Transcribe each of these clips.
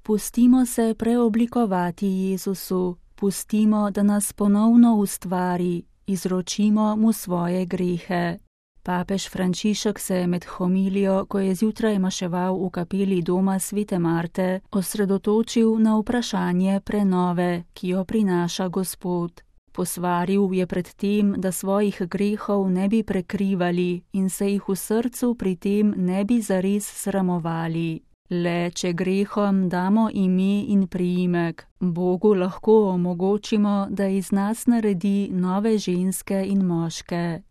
Pustimo se preoblikovati Jezusu, pustimo, da nas ponovno ustvari, izročimo mu svoje grehe. Papež Frančišek se je med homilijo, ko je zjutraj maševal v kapeli doma Svete Marte, osredotočil na vprašanje prenove, ki jo prinaša Gospod. Posvaril je pred tem, da svojih grehov ne bi prekrivali in se jih v srcu pri tem ne bi zares sramovali. Le če grehom damo ime in priimek, Bogu lahko omogočimo, da iz nas naredi nove ženske in moške.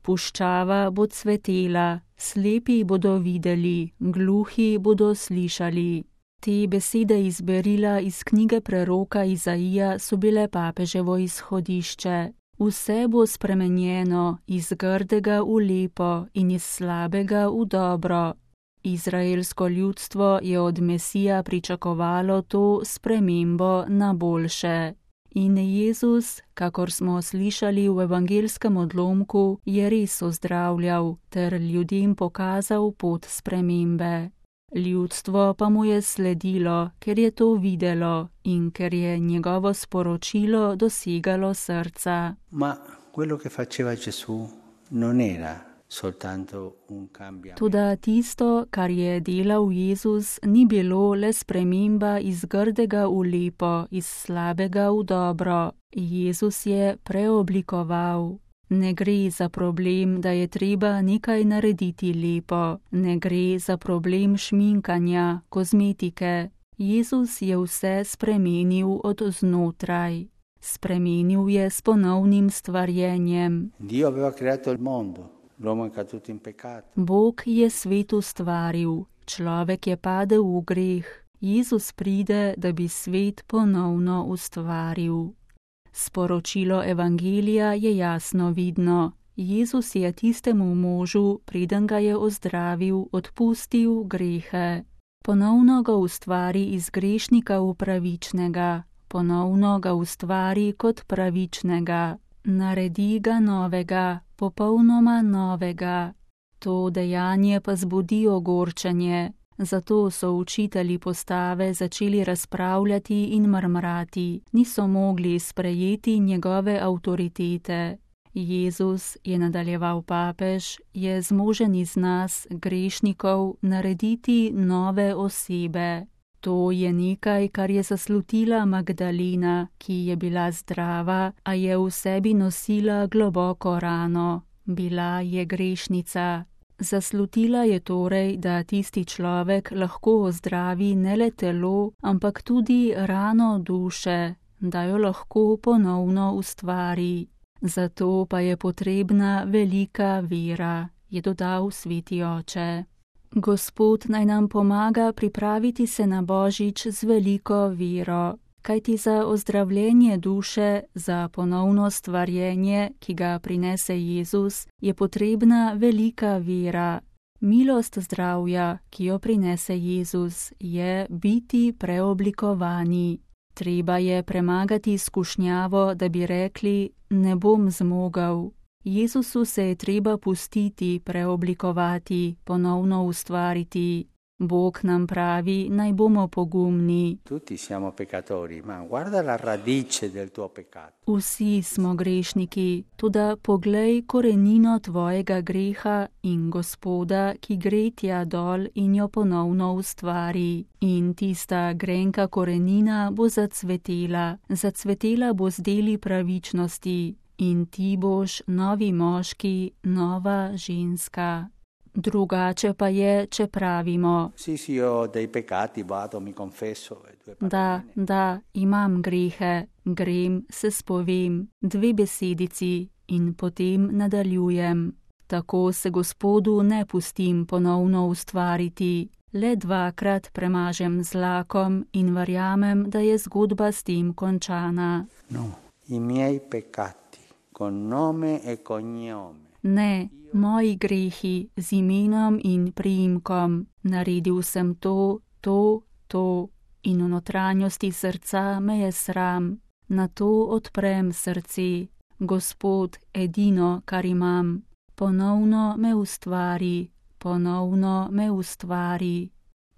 Puščava bo cvetela, slepi bodo videli, gluhi bodo slišali. Te besede iz berila iz knjige preroka Izaija so bile papeževo izhodišče. Vse bo spremenjeno, iz grdega v lepo in iz slabega v dobro. Izraelsko ljudstvo je od Mesija pričakovalo to spremembo na boljše. In Jezus, kakor smo slišali v evangelskem odlomku, je res ozdravljal ter ljudem pokazal pot spremembe. Ljudstvo pa mu je sledilo, ker je to videlo in ker je njegovo sporočilo dosegalo srca. Ma quello che faceva Gesù non era soltanto un cambiamento. Toda tisto, kar je delal Jezus, ni bilo le sprememba iz grdega v lepo, iz slabega v dobro. Jezus je preoblikoval. Ne gre za problem, da je treba nekaj narediti lepo. Ne gre za problem šminkanja, kozmetike. Jezus je vse spremenil od znotraj. Spremenil je s ponovnim stvarjenjem. Dio aveva creato il mondo. L'uomo è caduto in peccato. Bog je svet ustvaril, človek je padel v greh. Jezus pride, da bi svet ponovno ustvaril. Sporočilo evangelija je jasno vidno. Jezus je tistemu možu, preden ga je ozdravil, odpustil grehe. Ponovno ga ustvari iz grešnika v pravičnega. Ponovno ga ustvari kot pravičnega. Naredi ga novega, popolnoma novega. To dejanje pa zbudi ogorčenje. Zato so učitelji postave začeli razpravljati in mrmrati, niso mogli sprejeti njegove avtoritete. Jezus, je nadaljeval papež, je zmožen iz nas, grešnikov, narediti nove osebe. To je nekaj, kar je zaslutila Magdalena, ki je bila zdrava, a je v sebi nosila globoko rano. Bila je grešnica. Zaslutila je torej, da tisti človek lahko ozdravi ne le telo, ampak tudi rano duše, da jo lahko ponovno ustvari. Zato pa je potrebna velika vera, je dodal sveti oče. Gospod naj nam pomaga pripraviti se na Božič z veliko vero, kajti za ozdravljenje duše, za ponovno stvarjenje, ki ga prinese Jezus, je potrebna velika vera. Milost zdravja, ki jo prinese Jezus, je biti preoblikovani. Treba je premagati skušnjavo, da bi rekli, ne bom zmogel. Jezusu se je treba pustiti, preoblikovati, ponovno ustvariti. Bog nam pravi, naj bomo pogumni. Tutti siamo peccatori, ma guarda la radice del tuo peccato. Vsi smo grešniki, toda poglej korenino tvojega greha in Gospoda, ki gre tja dol in jo ponovno ustvari. In tista grenka korenina bo zacvetela bo z deli pravičnosti. In ti boš novi moški, nova ženska. Drugače pa je, če pravimo. Sì, ho dei peccati, vado, mi confesso. Da, imam grehe, grem, se spovem, 2 besedici in potem nadaljujem. Tako se Gospodu ne pustim ponovno ustvariti. Le 2-krat premažem z lakom in verjamem, da je zgodba s tem končana. No, i miei peccati, con nome e cognome. Ne, moji grehi z imenom in priimkom. Naredil sem to in v notranjosti srca me je sram. Na to odprem srce. Gospod, edino, kar imam. Ponovno me ustvari.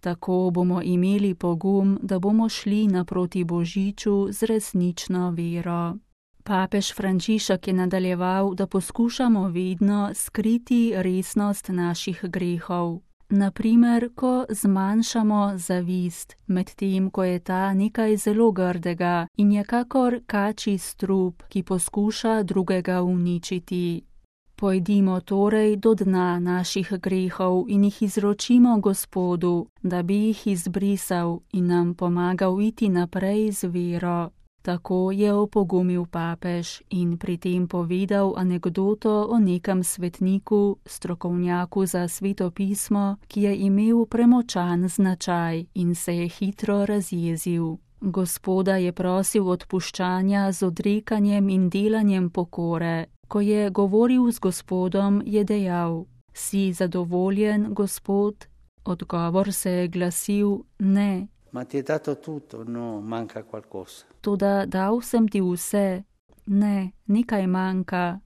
Tako bomo imeli pogum, da bomo šli naproti Božiču z resnično vero. Papež Frančišek je nadaljeval, da poskušamo vedno skriti resnost naših grehov. Naprimer, ko zmanjšamo zavist, medtem ko je ta nekaj zelo grdega in je kakor kačji strup, ki poskuša drugega uničiti. Pojdimo torej do dna naših grehov in jih izročimo Gospodu, da bi jih izbrisal in nam pomagal iti naprej z vero. Tako je opogumil papež in pri tem povedal anekdoto o nekem svetniku, strokovnjaku za Sveto pismo, ki je imel premočan značaj in se je hitro razjezil. Gospoda je prosil odpuščanja z odrekanjem in delanjem pokore. Ko je govoril z Gospodom, je dejal: "Si zadovoljen, Gospod?" Odgovor se je glasil: "Ne." Ma ti je dato tutto, no, manca qualcosa. Toda dal sem ti vse. Ne, nekaj manjka.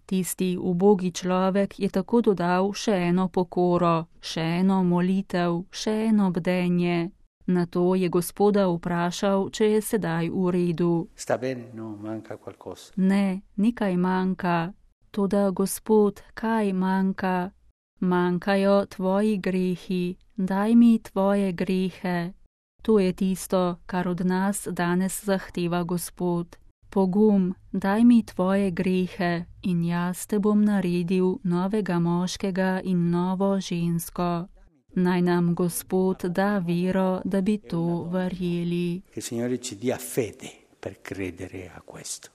Tisti ubogi človek je tako dodal še eno pokoro, še eno molitev, še eno bdenje. Nato je Gospoda vprašal, če je sedaj v redu. Sta bene, no, manca qualcosa. Ne, nekaj manjka. Toda, Gospod, kaj manjka? Manjkajo tvoji grehi, daj mi tvoje grehe. To je tisto, kar od nas danes zahteva Gospod. Pogum, daj mi tvoje grehe in jaz te bom naredil novega moškega in novo žensko. Naj nam Gospod da vero, da bi to verjeli. Che il Signore ci dia fede per credere a questo.